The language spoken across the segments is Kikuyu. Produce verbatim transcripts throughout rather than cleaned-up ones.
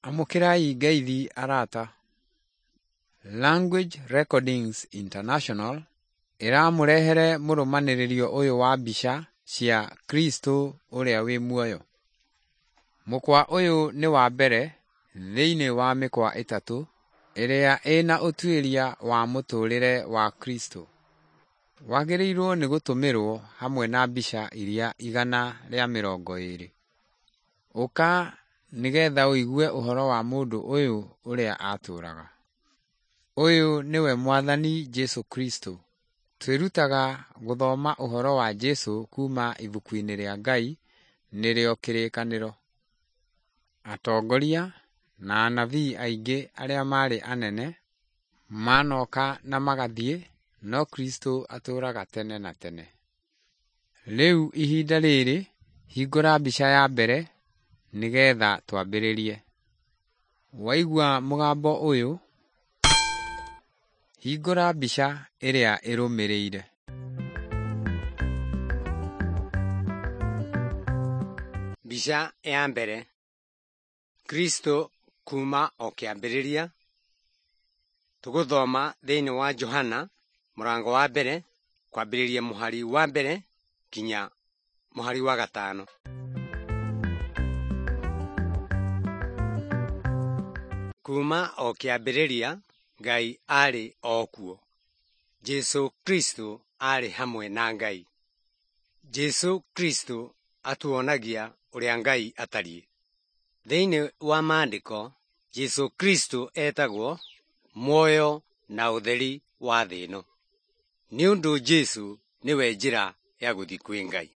Amũkĩrai ngeithi arata. Language Recordings International ĩramũrehere mũrũmanĩrĩrio ũyũ wa mbica cia Kristo ũrĩa wĩ muoyo. Mũkwa ũyũ nĩ wa mbere thĩinĩ wa mĩkwa ĩtatũ ĩrĩa ĩna ũtuĩria wa mũtũũrĩre wa Kristo. Wagĩrĩirwo nĩ gũtũmĩrwo hamwe na mbica iria igana rĩa mĩrongo ĩrĩ. Ũka nĩgetha ũigue ũhoro wa mũndũ ũyũ ũrĩa atũũraga. Ũyũ nĩwe Mwathani Jesũ Kristo. Twĩrutaga gũthoma ũhoro wa Jesũ kuuma ibuku-inĩ rĩa Ngai nĩrĩo Kĩrĩkanĩro. Atongoria na anabii aingĩ arĩa maarĩ anene manoka na magathiĩ, no Kristo atũũraga tene na tene. Rĩu ihinda rĩrĩ, hingũra mbica ya mbere nĩgetha twambĩrĩrie. Waigua mũgambo ũyũ, hingũra mbica ĩrĩa ĩrũmĩrĩire. Mbica ya mbere. Kristo kuma o kĩambĩrĩria. Tũgũthoma thĩinĩ wa Johana mũrango wa mbere kwambĩrĩria mũhari wa mbere nginya mũhari wa gatano. Kuma o kĩambĩrĩria Ngai aarĩ o kuo. Jesũ Kristo aarĩ hamwe na Ngai. Jesũ Kristo atuonagia ũrĩa Ngai atariĩ. Thĩinĩ wa maandĩko Jesũ Kristo etagwo muoyo na ũtheri wa thĩ ĩno. Nĩ ũndũ Jesũ nĩwe njĩra ya gũthiĩ kwĩ Ngai.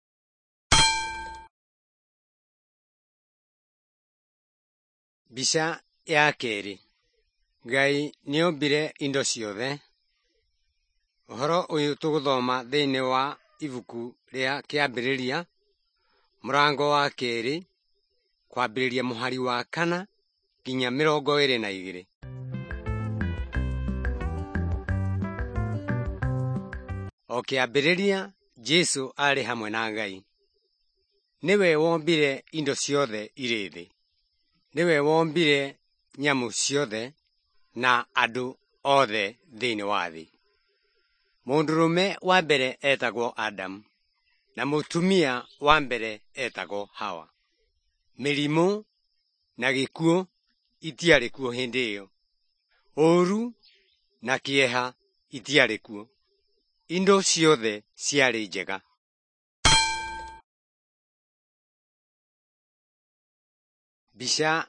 Mbica ya kerĩ. Ngai nĩombire indo ciothe. Ũhoro ũyũ tũgũthoma thĩinĩ wa ibuku rĩa kĩambĩrĩria mũrango wa kerĩ kwambĩrĩria mũhari wa kana nginya mĩrongo ĩrĩ na igĩrĩ. O kĩambĩrĩria Jesũ aarĩ hamwe na Ngai. Nĩwe wombire indo ciothe irĩ thĩ. Nĩwe wombire nyamũ ciothe na andũ othe thĩinĩ wa thĩ. Mũndũrũme wa mbere etagwo Adamu na mũtumia wa mbere etagwo Hawa. Mĩrimũ na gĩkuũ itiarĩ kuo hĩndĩ ĩyo. Ũũru na kĩeha itiarĩ kuo. Indo ciothe ciarĩ njega. Mbica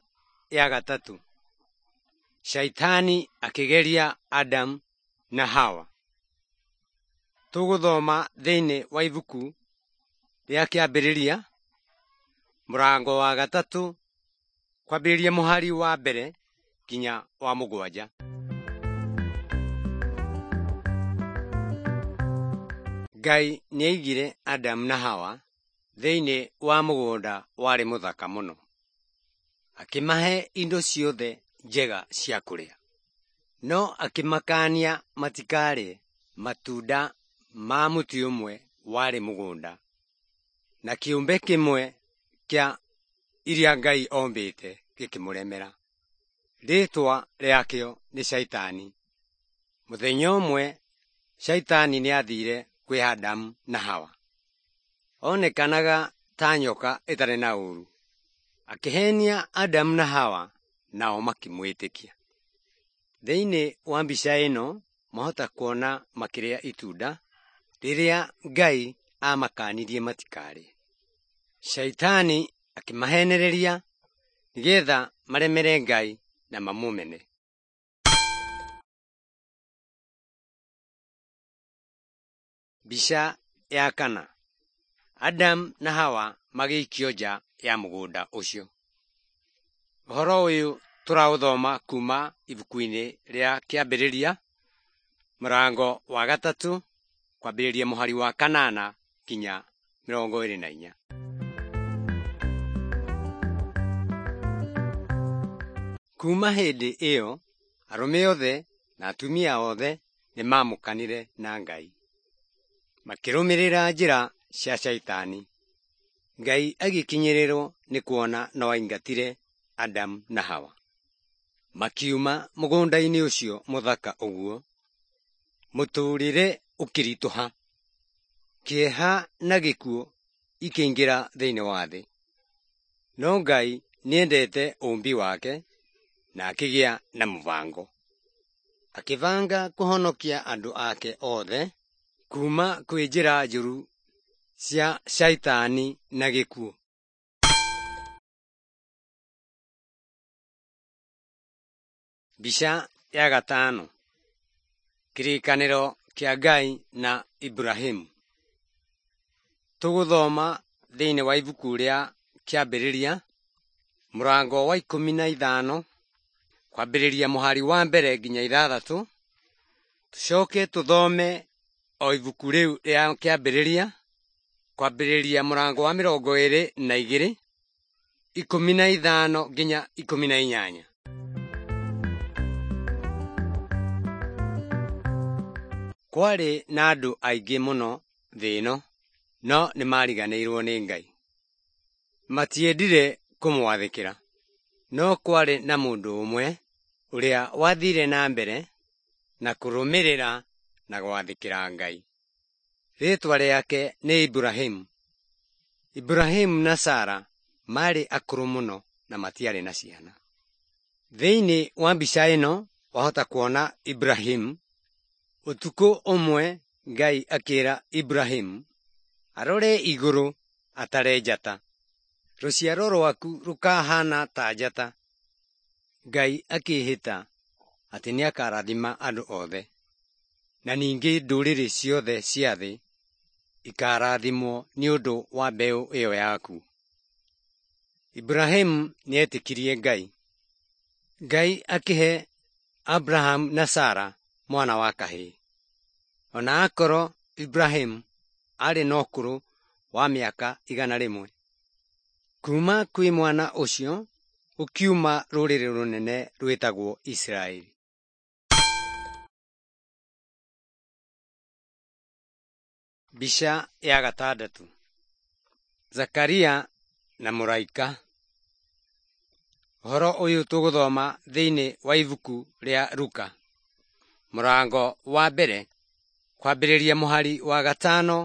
ya gatatũ. Shaitani akĩgeria Adamu na Hawa. Tũgũthoma thĩinĩ wa ibuku rĩa kĩambĩrĩria mũrango wa gatatũ kwambĩrĩria mũhari wa mbere nginya wa mũgwanja. Ngai nĩaigire Adamu na Hawa thĩinĩ wa mũgũnda warĩ mũthaka mũno. Akĩmahe indo ciothe njega cia kũrĩa. No akĩmakania matikarĩe matunda ma mũtĩ ũmwe warĩ mũgũnda na kĩũmbe kĩmwe kĩa iria Ngai ombĩte gĩkĩmũremera. Rĩĩtwa rĩakĩo nĩ Shaitani. Mũthenya ũmwe Shaitani nĩathire kwĩ Adamu na Hawa. Onekanaga ta nyoka ĩtarĩ na ũũru. Akĩhenia Adamu na Hawa nao makĩmwĩtĩkia. Thĩinĩ wa mbica ĩno mwahota kuona makĩrĩa itunda rĩrĩa Ngai amakanirie matikarĩe. Shaitani akĩmahenereria nĩgetha maremere Ngai na mamũmene. Mbica ya kana. Adamu na Hawa magĩikio nja ya mũgũnda ũcio. Ũhoro ũyũ tũraũthoma kuma ibuku-inĩ rĩa kĩambĩrĩria mũrango wa gatatũ kwambĩrĩria mũhari wa kanana nginya mĩrongo ĩrĩ na inya. Kuma hĩndĩ ĩyo arũme othe na atumia othe nĩmamũkanire na Ngai. Makĩrũmĩrĩra njĩra cia Shaitani. Ngai agĩkinyĩrĩrwo nĩ kuona no aingatire Adamu na Hawa. Makiuma mũgũnda-inĩ ũcio mũthaka ũguo, mũtũũrĩre ũkĩritũha. Kĩeha na gĩkuũ ikĩingĩra thĩinĩ wa thĩ. No Ngai nĩendete ũũmbi wake na akĩgĩa na mũbango. Akĩbanga kũhonokia andũ ake othe kuuma kwĩ njĩra njũru cia Shaitani na gĩkuũ. Mbica ya gatano. Kĩrĩkanĩro kĩa Ngai na Iburahĩmu. Tũgũthoma thĩinĩ wa ibuku rĩa Kĩambĩrĩria mũrango wa ikũmi na ithano kwambĩrĩria mũhari wa mbere nginya ithathatũ, tũcoke tũthome o ibuku rĩu rĩa Kĩambĩrĩria kwambĩrĩria mũrango wa mĩrongo ĩrĩ na igĩrĩ ikũmi na ithano nginya ikũmi na inyanya. Kwarĩ na andũ aingĩ mũno thĩ ĩno, no nĩmariganĩirwo nĩ Ngai. Matiendire kũmwathĩkĩra. No kwarĩ na mũndũ ũmwe ũrĩa wathire na mbere na kũrũmĩrĩra na gwathĩkĩra Ngai. Rĩĩtwa rĩake nĩ Iburahĩmu. Iburahĩmu na Sara maarĩ akũrũ mũno na matiarĩ na ciana. Thĩinĩ wa mbica ĩno wahota kuona Iburahĩmu. Ũtukũ ũmwe Ngai akĩra Iburahĩmu arore igũrũ atare njata. Rũciaro rwaku rũkahana ta njata. Ngai akĩĩhĩta atĩ nĩakarathima andũ othe, na ningĩ ndũrĩrĩ ciothe cia thĩ ikarathimwo nĩ ũndũ wa mbeũ ĩyo yaku. Iburahĩmu nĩetĩkirie Ngai. Ngai akĩhe Abrahamu na Sara mwana wa kahĩĩ. Ona akorwo Iburahĩmu aarĩ na ũkũrũ wa mĩaka igana rĩmwe. Kuuma kwĩ mwana ũcio gũkiuma rũrĩrĩ rũnene rwĩtagwo Isiraeli. Mbica ya gatandatũ. Zakaria na mũraika. Ũhoro ũyũ tũgũthoma thĩinĩ wa ibuku rĩa Luka mũrango wa mbere kwambĩrĩria mũhari wa gatano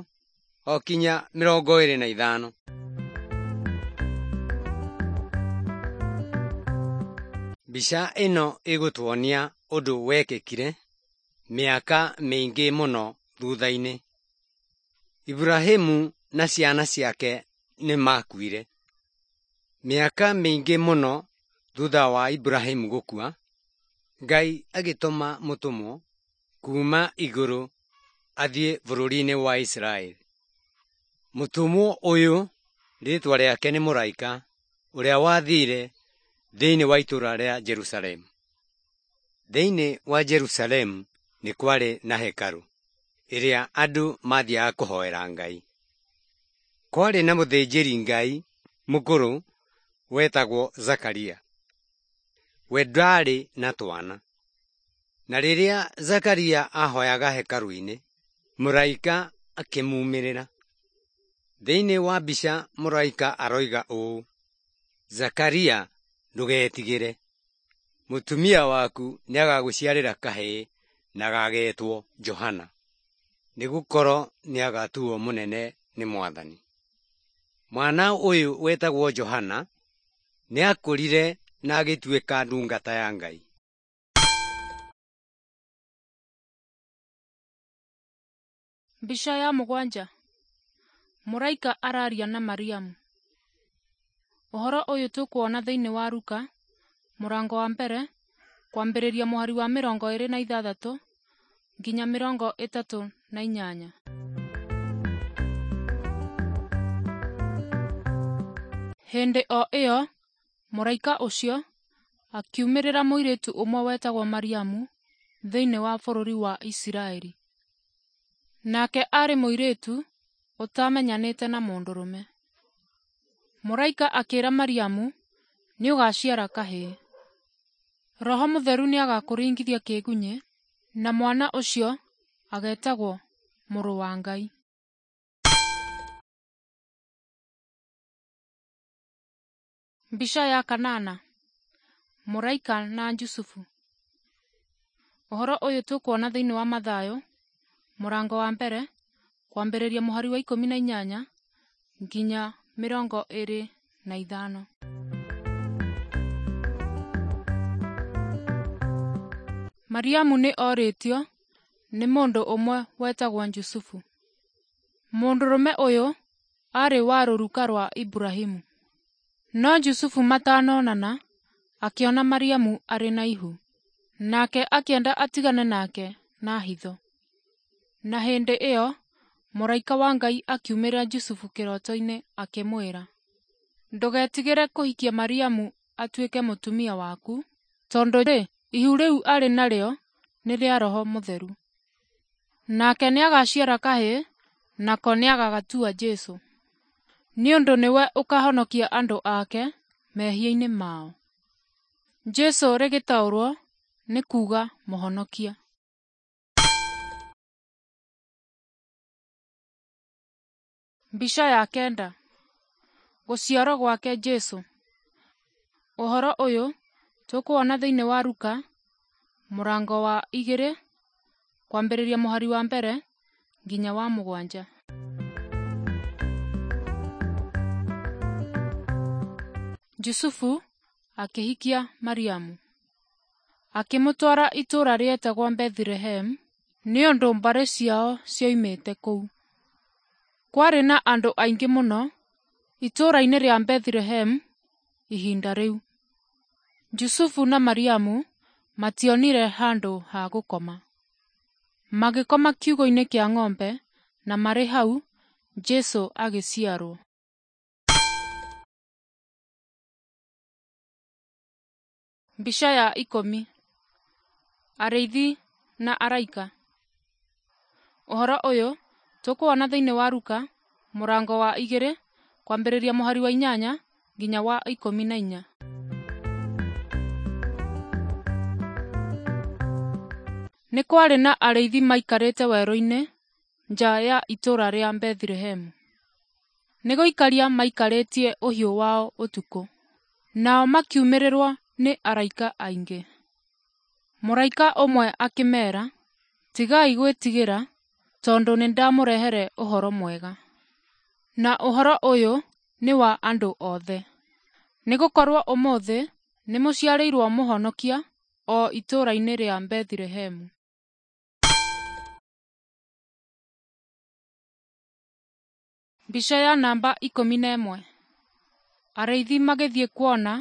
o kinya mĩrongo ĩrĩ na ithano. Mbica ĩno ĩgũtuonia ũndũ wekĩkire mĩaka mĩingĩ mũno thutha-inĩ. Iburahĩmu na ciana ciake nĩmakuire. Mĩaka mĩingĩ mũno thutha wa Iburahĩmu gũkua, Ngai agĩtũma mũtũmwo kuuma igũrũ athiĩ bũrũri-inĩ wa Isiraeli. Mũtũmwo ũyũ rĩĩtwa rĩake nĩ mũraika ũrĩa wathire thĩinĩ wa itũũra rĩa Jerusalemu. Thĩinĩ wa Jerusalemu nĩ kwarĩ na hekarũ ĩrĩa andũ mathiaga kũhoera Ngai. Kwarĩ na mũthĩnjĩri Ngai mũkũrũ wetagwo Zakaria. We ndaarĩ na twana. Na rĩrĩa Zakaria ahoyaga hekarũ-inĩ, mũraika akĩmumĩrĩra. Thĩinĩ wa mbica mũraika aroiga ũũ, Zakaria ndũgetigĩre, mũtumia waku nĩagagũciarĩra kahĩĩ na gagetwo Johana, nĩgũkorwo nĩagatuo mũnene nĩ Mwathani. Mwana ũyũ wetagwo Johana nĩakũrire na agĩtuĩka ndungata ya Ngai. Mbica ya mũgwanja. Mũraika araria na Mariamu. Ũhoro ũyũ tũkuona thĩinĩ wa Luka mũrango wa mbere kwambĩrĩria mũhari wa mĩrongo ĩrĩ na ithathatũ nginya mĩrongo ĩtatũ na inyanya. Hĩndĩ o ĩyo mũraika ũcio akiumĩrĩra mũirĩtu ũmwe wetagwo Mariamu thĩinĩ wa bũrũri wa Isiraeli. Nake aarĩ mũirĩtu ũtamenyanĩte na mũndũrũme. Mũraika akĩra Mariamu, nĩũgaciara kahĩĩ. Roho Mũtheru nĩagakũringithia kĩgunyĩ, na mwana ũcio agetagwo Mũrũ wa Ngai. Mbica ya kanana. Mũraika na Jusufu. Ũhoro ũyũ tũkuona thĩinĩ wa Mathayo mũrango wa mbere kwambĩrĩria mũhari wa ikũmi na inyanya nginya mĩrongo ĩrĩ na ithano. Mariamu nĩ orĩtio nĩ mũndũ ũmwe wetagwo Jusufu. Mũndũrũme ũyũ aarĩ wa rũruka rwa Iburahĩmu. No Jusufu matanonana akĩona Mariamu arĩ na ihu, nake akĩenda atigane nake na hitho. Na hĩndĩ ĩyo mũraika wa Ngai akiumĩrĩra Jusufu kĩroto-inĩ akĩmwĩra, ndũgetigĩre kũhikia Mariamu atuĩke mũtumia waku, tondũ-rĩ, ihu rĩu arĩ narĩo nĩ rĩa Roho Mũtheru. Nake nĩagaciara kahĩĩ, nako nĩagagatua Jesũ, nĩ ũndũ nĩwe ũkahonokia andũ ake mehia-inĩ mao. Jesũ rĩgĩtaũrwo nĩ kuuga Mũhonokia. Mbica ya kenda. Gũciarwo gwake Jesũ. Ũhoro ũyũ tũkuona thĩinĩ wa Luka mũrango wa igĩrĩ kwambĩrĩria mũhari wa mbere nginya wa mũgwanja. Jusufu akĩhikia Mariamu, akĩmũtwara itũũra rĩetagwo Bethilehemu nĩ ũndũ mbarĩ ciao cioimĩte kũu. Kwarĩ na andũ aingĩ mũno itũũra-inĩ rĩa Bethilehemu ihinda rĩu. Jusufu na Mariamu mationire handũ ha gũkoma. Magĩkoma kiugũ-inĩ kĩa ng'ombe na marĩ hau Jesũ agĩciarwo. Mbica ya ikũmi. Arĩithi na araika. Ũhoro ũyũ tũkuona thĩinĩ wa Luka mũrango wa igĩrĩ kwambĩrĩria mũhari wa inyanya nginya wa ikũmi na inya. Nĩ kwarĩ na arĩithi maikarĩte werũ-inĩ nja ya itũũra rĩa Bethilehemu. Nĩ gũikaria maikarĩtie ũhiũ wao ũtukũ. Nao makiumĩrĩrwo nĩ araika aingĩ. Mũraika ũmwe akĩmeera, tigai gwĩtigĩra, tondũ nĩndamũrehere ũhoro mwega. Na ũhoro ũyũ nĩ wa andũ othe. Nĩgũkorwo ũmũthĩ nĩmũciarĩirwo mũhonokia o itũũra-inĩ rĩa Bethilehemu. Mbica ya namba ikũmi na ĩmwe. Arĩithi magĩthiĩ kuona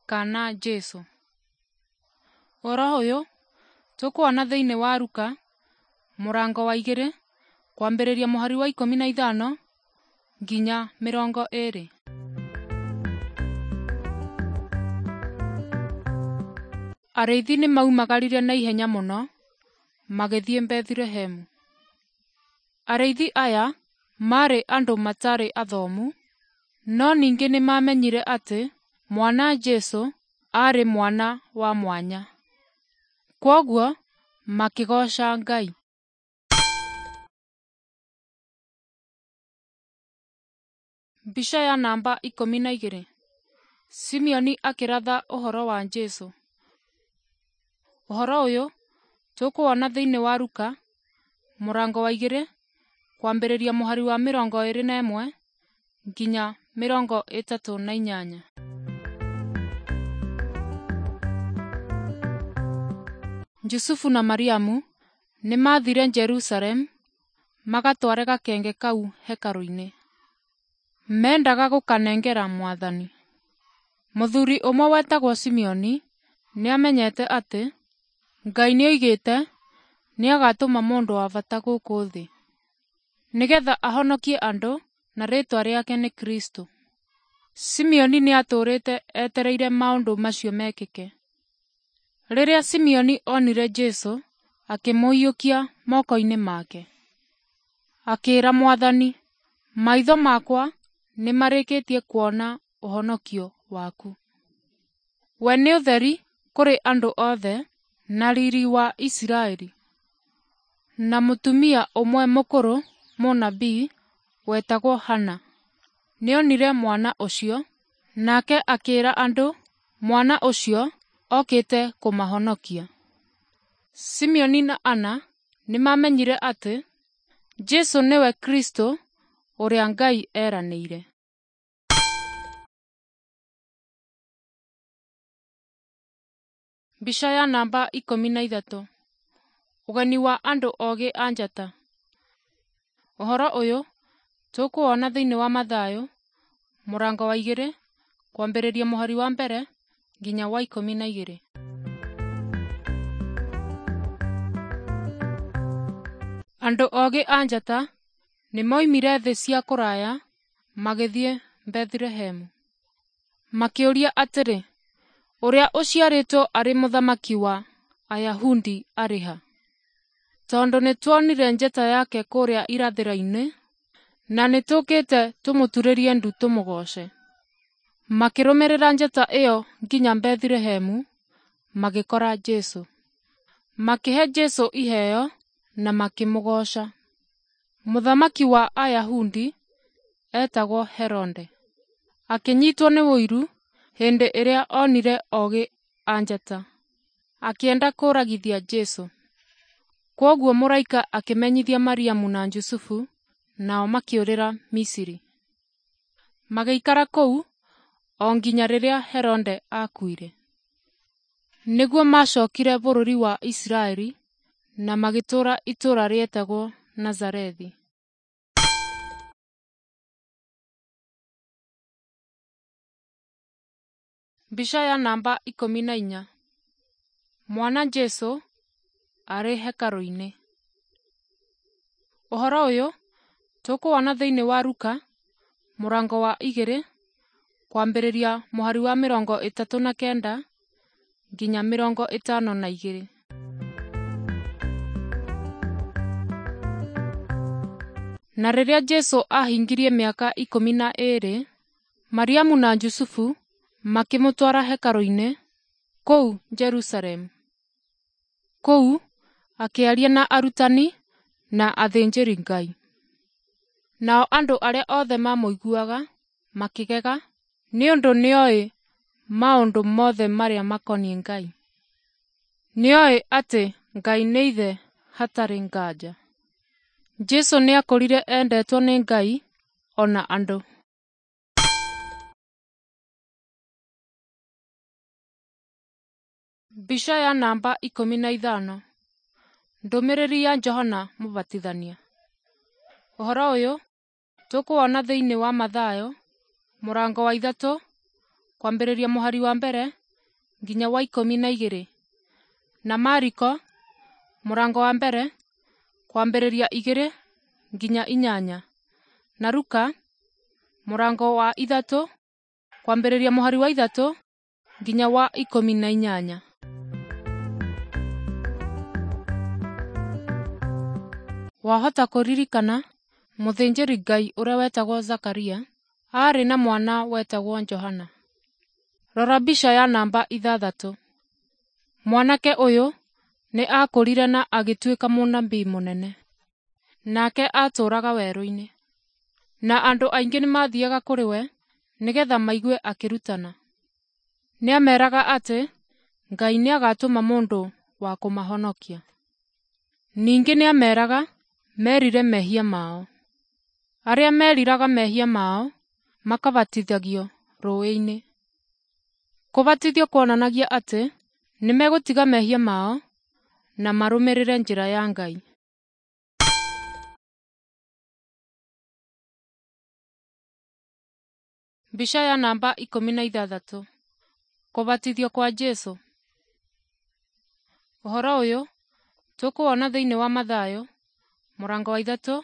kana Jesũ. Ũhoro ũyũ tũkuona thĩinĩ wa Luka mũrango wa igĩrĩ kwambĩrĩria mũhari wa ikũmi na ithano nginya mĩrongo ĩrĩ. Arĩithi nĩmaumagarire na ihenya mũno magĩthiĩ Bethilehemu. Arĩithi aya maarĩ andũ matarĩ athomu, no ningĩ nĩmamenyire atĩ mwana Jesũ aarĩ mwana wa mwanya. Kwoguo makĩgooca Ngai. Mbica ya namba ikũmi na igĩrĩ. Simeoni akĩratha ũhoro wa Jesũ. Ũhoro ũyũ tũkuona thĩinĩ wa Luka mũrango wa igĩrĩ kwambĩrĩria mũhari wa mĩrongo ĩrĩ na ĩmwe nginya mĩrongo ĩtatũ na inyanya. Jusufu na Mariamu nĩmathire Jerusalemu magatware gakenge kau hekarũ-inĩ. Mendaga gũkanengera Mwathani. Mũthuri ũmwe wetagwo Simeoni nĩamenyete atĩ Ngai nĩoigĩte nĩagatũma mũndũ wa bata gũkũ thĩ nĩgetha ahonokie andũ na rĩĩtwa rĩake nĩ Kristũ. Simeoni nĩatũũrĩte etereire maũndũ macio mekĩke. Rĩrĩa Simeoni onire Jesũ, akĩmũiyũkia moko-inĩ make. Akĩĩra Mwathani, maitho makwa nĩmarĩkĩtie kuona ũhonokio waku. We nĩ ũtheri kũrĩ andũ othe na riri wa Isiraeli. Na mũtumia ũmwe mũkũrũ mũnabii wetagwo Hana nĩonire mwana ũcio, nake akĩĩra andũ mwana ũcio okĩte kũmahonokia. Simeoni na Ana nĩmamenyire atĩ Jesũ nĩwe Kristũ ũrĩa Ngai eranĩire. Mbica ya namba ikũmi na ithatũ. Ũgeni wa andũ ogĩ a njata. Ũhoro ũyũ tũkũwona thĩinĩ wa Mathayo mũrango wa igĩrĩ kwambĩrĩria mũhari wa mbere nginya wa ikũmi na igĩrĩ. Andũ ogĩ a njata nĩmoimire thĩ cia kũraya magĩthiĩ Bethilehemu. Makĩũria atĩrĩ, ũrĩa ũciarĩtwo arĩ mũthamaki wa Ayahudi arĩ ha? Tondũ nĩtuonire njata yake kũrĩa irathĩro-inĩ, na nĩtũũkĩte tũmũturĩrie ndu tũmũgooce. Makĩrũmĩrĩra njata ĩyo nginya Bethilehemu, magĩkora Jesũ. Makĩhe Jesũ iheo na makĩmũgooca. Mũthamaki wa Ayahudi etagwo Herode. Akĩnyitwo nĩ ũiru hĩndĩ ĩrĩa onire ogĩ a njata. Akĩenda kũragithia Jesũ. Kwoguo mũraika akĩmenyithia Mariamu na Jusufu, nao makĩũrĩra Misiri. Magĩikara kũu o nginya rĩrĩa Herode aakuire. Nĩguo maacokire bũrũri wa Isiraeli na magĩtũũra itũũra rĩetagwo Nazarethi. Mbica ya namba ikũmi na inya. Mwana Jesũ arĩ hekarũ-inĩ. Ũhoro ũyũ tũkũwona thĩinĩ wa Luka mũrango wa igĩrĩ kwambĩrĩria mũhari wa mĩrongo ĩtatũ na kenda nginya mĩrongo ĩtano na igĩrĩ. Na rĩrĩa Jesũ ahingirie mĩaka ikũmi na ĩĩrĩ, Mariamu na Jusufu makĩmũtwara hekarũ-inĩ kũu Jerusalemu. Kũu akĩaria na arutani na athĩnjĩri Ngai. Nao andũ arĩa othe mamũiguaga makĩgega nĩ ũndũ nĩoĩ maũndũ mothe marĩa makoniĩ Ngai. Nĩoĩ atĩ Ngai nĩ Ithe hatarĩ nganja. Jesũ nĩakũrire endetwo nĩ Ngai ona andũ. Mbica ya namba ikũmi na ithano. Ndũmĩrĩri ya Johana Mũbatithania. Ũhoro ũyũ tũkũwona thĩinĩ wa Mathayo mũrango wa ithatũ kwambĩrĩria mũhari wa mbere nginya wa ikũmi na igĩrĩ, na Mariko mũrango wa mbere kwambĩrĩria igĩrĩ nginya inyanya, na Luka mũrango wa ithatũ kwambĩrĩria mũhari wa ithatũ nginya wa ikũmi na inyanya. Wahota kũririkana mũthĩnjĩri Ngai ũrĩa wetagwo Zakaria aarĩ na mwana wetagwo Johana. Rora mbica ya namba ithathatũ. Mwanake ũyũ nĩ aakũrire na agĩtuĩka mũnabii mũnene. Nake aatũũraga werũ-inĩ. Na andũ aingĩ nĩmathiaga kũrĩ we nĩgetha maigue akĩrutana. Nĩameraga atĩ Ngai nĩagatũma mũndũ wa kũmahonokia. Ningĩ nĩameraga merire mehia mao. Arĩa meriraga mehia mao makabatithagio rũũĩ-inĩ. Kũbatithio kuonanagia atĩ nĩmegũtiga mehia mao na marũmĩrĩre njĩra ya Ngai. Mbica ya namba ikũmi na ithathatũ. Kũbatithio kwa Jesũ. Ũhoro ũyũ tũkũwona thĩinĩ wa Mathayo mũrango wa ithatũ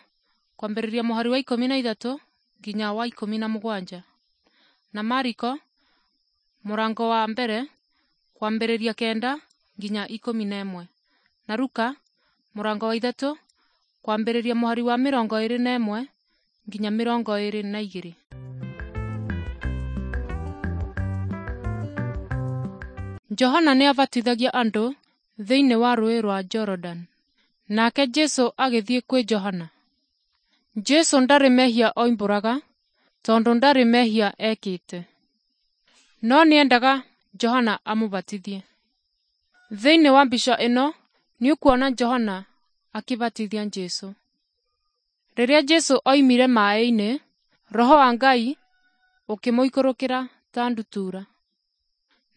kwambĩrĩria mũhari wa ikũmi na ithatũ nginya wa ikũmi na mũgwanja, na Mariko mũrango wa mbere kwambĩrĩria kenda nginya ikũmi na ĩmwe, na Luka mũrango wa ithatũ kwambĩrĩria mũhari wa mĩrongo ĩĩrĩ na ĩmwe nginya mĩrongo ĩĩrĩ na igĩrĩ. Johana nĩabatithagia andũ thĩinĩ wa rũũĩ rwa Jorodani. Nake Jesũ agĩthiĩ kwĩ Johana. Jesũ ndarĩ mehia oimbũraga tondũ ndarĩ mehia ekĩte. No nĩendaga Johana amũbatithie. Thĩinĩ wa mbica ĩno nĩũkuona Johana akĩbatithia Jesũ. Rĩrĩa Jesũ oimire maaĩ-inĩ, Roho wa Ngai ũkĩmũikũrũkĩra ta ndutura.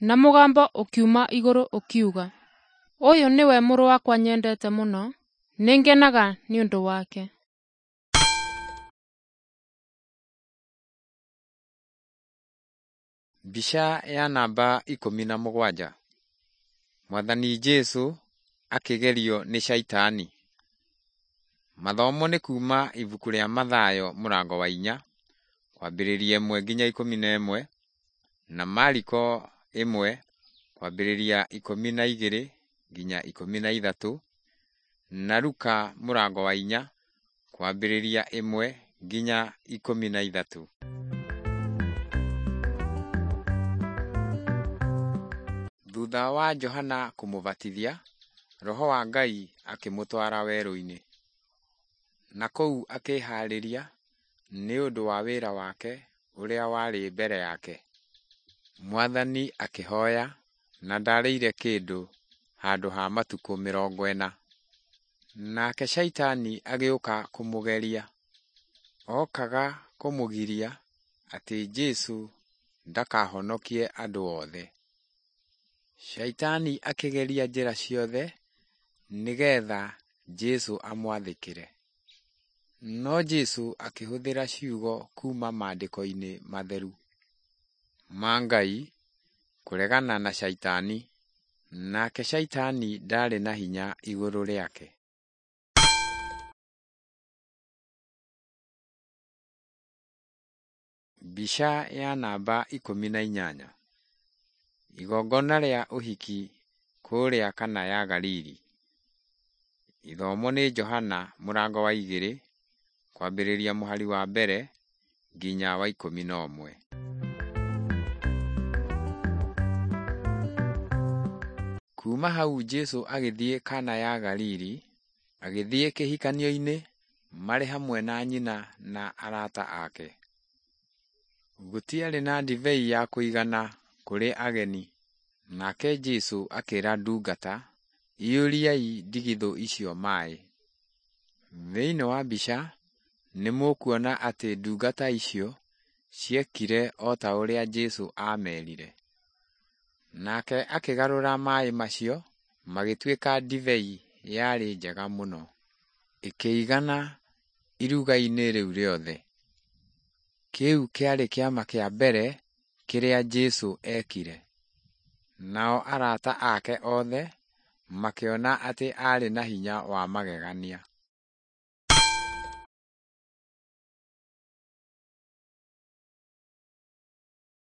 Na mũgambo ũkiuma igũrũ ũkiuga, ũyũ nĩwe mũrũ wakwa nyendete mũno, nĩngenaga nĩ ũndũ wake. Mbica ya namba ikũmi na mũgwanja. Mwathani Jesũ akĩgerio nĩ Shaitani. Mathomo nĩ kuma ibuku rĩa Mathayo mũrango wa inya kwambĩrĩria ĩmwe nginya ikũmi na ĩmwe na Mariko ĩmwe kwambĩrĩria ikũmi na igĩrĩ nginya ikũmi na ithatũ na Luka mũrango wa inya kwambĩrĩria ĩmwe nginya ikũmi na ithatũ. Thutha wa Johana kũmũbatithia, Roho wa Ngai akĩmũtwara werũ-inĩ. Na kũu akĩĩhaarĩria nĩ ũndũ wa wĩra wake ũrĩa warĩ mbere yake. Mwathani akĩhoya na ndarĩire kĩndũ handũ ha matukũ mĩrongo ĩna. Nake Shaitani agĩũka kũmũgeria. Okaga kũmũgiria atĩ Jesũ ndakahonokie andũ othe. Shaitani akĩgeria njĩra ciothe nĩgetha Jesũ amwathĩkĩre. No Jesũ akĩhũthĩra ciugo kuuma maandĩko-inĩ matheru ma Ngai kũregana na Shaitani, nake Shaitani ndaarĩ na hinya igũrũ rĩake. Mbica ya namba ikũmi na inyanya. Igongona rĩa ũhiki kũrĩa Kana ya Galili. Ithomo nĩ Johana mũrango wa igĩrĩ kwambĩrĩria mũhari wa mbere nginya wa ikũmi na ũmwe. Kuuma hau Jesũ agĩthiĩ Kana ya Galili, agĩthiĩ kĩhikanio-inĩ marĩ hamwe na nyina na arata ake. Gũtiarĩ na ndibei ya kũigana kũrĩ ageni, nake Jesũ akĩĩra ndungata, iyũriai ndigithũ icio maaĩ. Thĩinĩ wa mbica nĩ mũkuona atĩ ndungata icio ciekire o ta ũrĩa Jesũ aamerire. Nake akĩgarũra maaĩ macio magĩtuĩka ndibei yarĩ njega mũno, ĩkĩigana iruga-inĩ rĩu rĩothe. Kĩu kĩarĩ kĩama kĩa mbere kĩrĩa Jesũ eekire. Nao arata ake othe makĩona atĩ aarĩ na hinya wa magegania.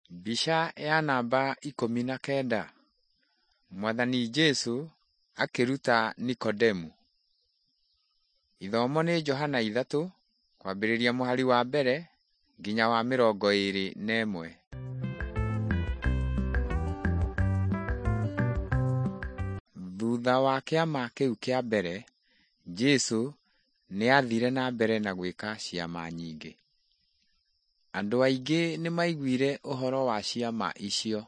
Mbica ya namba ikũmi na kenda. Mwathani Jesũ akĩruta Nikodemu. Ithomo nĩ Johana ithatũ kwambĩrĩria mũhari wa mbere nginya wa mĩrongo ĩĩrĩ na ĩmwe. Thutha wa kĩama kĩu kĩa mbere, Jesũ nĩathire na mbere na gwĩka ciama nyingĩ. Andũ aingĩ nĩmaiguire ũhoro wa ciama icio,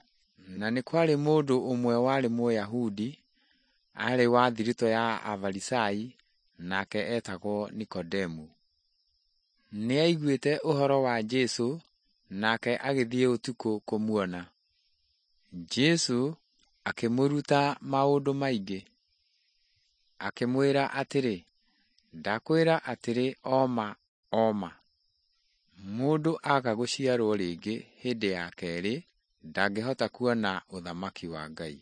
na nĩ kwarĩ mũndũ ũmwe warĩ Mũyahudi, aarĩ wa thiritũ ya Afarisai, nake eetagwo Nikodemu. Nĩaiguĩte ũhoro wa Jesũ, nake agĩthiĩ ũtukũ kũmuona. Jesũ akĩmũruta maũndũ maingĩ. Akĩmwĩra atĩrĩ, ndakwĩra atĩrĩ o ma o ma, mũndũ aga gũciarwo rĩngĩ hĩndĩ ya kerĩ ndangĩhota kuona ũthamaki wa Ngai.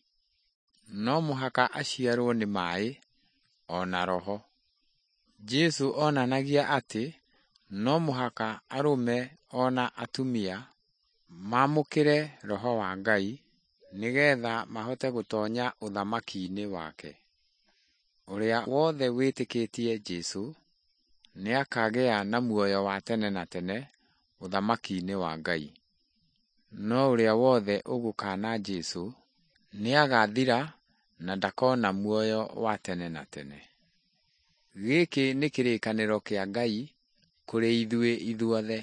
No mũhaka aciarwo nĩ maaĩ o na Roho. Jesũ onanagia atĩ no mũhaka arũme o na atumia maamũkĩre Roho wa Ngai nĩgetha mahote gũtonya ũthamaki-inĩ wake. Ũrĩa wothe wĩtĩkĩtie Jesũ nĩakagĩa na muoyo wa tene na tene ũthamaki-inĩ wa Ngai. No ũrĩa wothe ũgũkaana Jesũ nĩagathira na ndakona muoyo wa tene na tene. Gĩkĩ nĩ kĩrĩkanĩro kĩa Ngai kũrĩ ithuĩ ithuothe.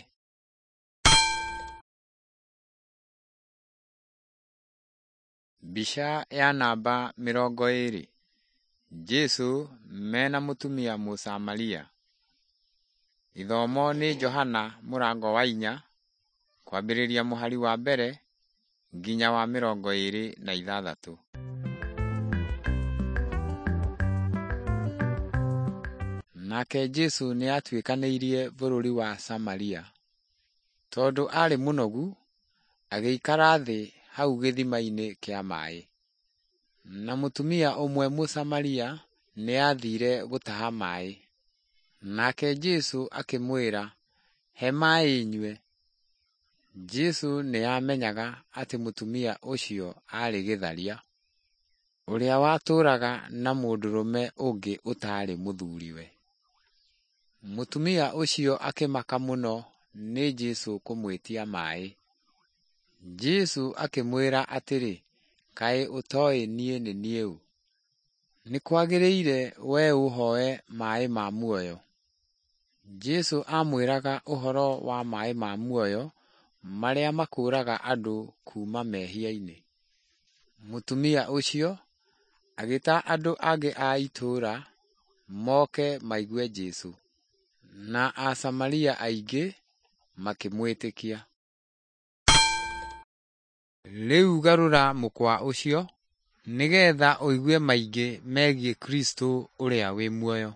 Mbica ya namba mĩrongo ĩrĩ. Jesũ mena mũtumia Mũsamaria. Ithomo nĩ Johana mũrango wa inya kwambĩrĩria mũhari wa mbere nginya wa mĩrongo ĩrĩ na ithathatũ. Nake Jesũ nĩatuĩkanĩirie bũrũri wa Samaria. Tondũ aarĩ mũnogu, agĩikara thĩ hau gĩthima-inĩ kĩa maĩ. Na mũtumia ũmwe Mũsamaria nĩathiire gũtaha maĩ. Nake Jesũ akĩmwĩra, "He maĩ nyue." Jesũ nĩamenyaga atĩ mũtumia ũcio aarĩ gĩtharia, ũrĩa watũũraga na mũndũrũme ũngĩ ũtaarĩ mũthuriwe. Mũtumia ũcio akĩmaka mũno nĩ Jesũ kũmwĩtia maĩ. Jesũ akĩmwĩra atĩrĩ, "Kaĩ ũtooĩ niĩ nĩ niĩ ũ? Nĩ kwagĩrĩire wee ũũhooe maĩ ma muoyo." Jesũ aamwĩraga ũhoro wa maĩ ma muoyo marĩa makũũraga andũ kuuma mehia-inĩ. Mũtumia ũcio agĩta andũ angĩ a itũũra moke maigue Jesũ, na Asamaria aingĩ makĩmwĩtĩkia. Rĩu garũra mũkwa ũcio nĩgetha ũigue maingĩ megiĩ Kristo ũrĩa wĩ muoyo.